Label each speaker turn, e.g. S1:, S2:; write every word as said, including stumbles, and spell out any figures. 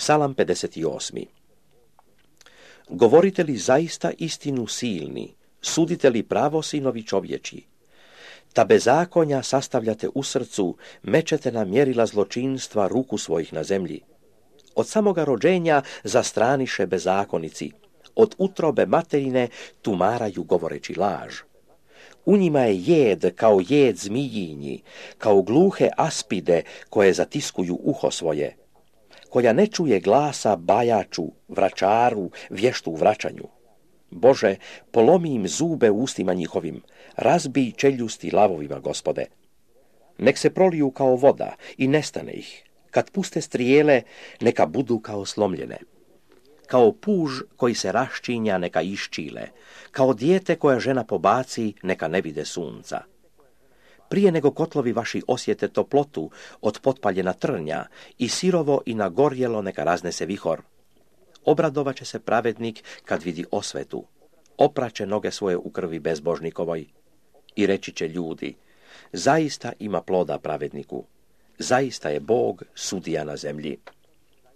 S1: Psalam pedeset osam. Govorite li zaista istinu silni, sudite li pravo sinovi čovječi? Ta bezakonja sastavljate u srcu, mečete na mjerila zločinstva ruku svojih na zemlji. Od samoga rođenja zastraniše bezakonici, od utrobe materine tumaraju govoreći laž. U njima je jed kao jed zmijinji, kao gluhe aspide koje zatiskuju uho svoje, koja ne čuje glasa bajaču, vračaru, vještu u vraćanju. Bože, polomi im zube u ustima njihovim, razbij čeljusti lavovima, Gospode. Nek se proliju kao voda i nestane ih, kad puste strijele, neka budu kao slomljene. Kao puž koji se raščinja, neka iščile, kao dijete koja žena pobaci, neka ne vide sunca. Prije nego kotlovi vaši osjete toplotu od potpaljena trnja i sirovo i nagorjelo neka raznese vihor. Obradovat će se pravednik kad vidi osvetu, opraće noge svoje u krvi bezbožnikovoj i reći će ljudi, zaista ima ploda pravedniku, zaista je Bog sudija na zemlji.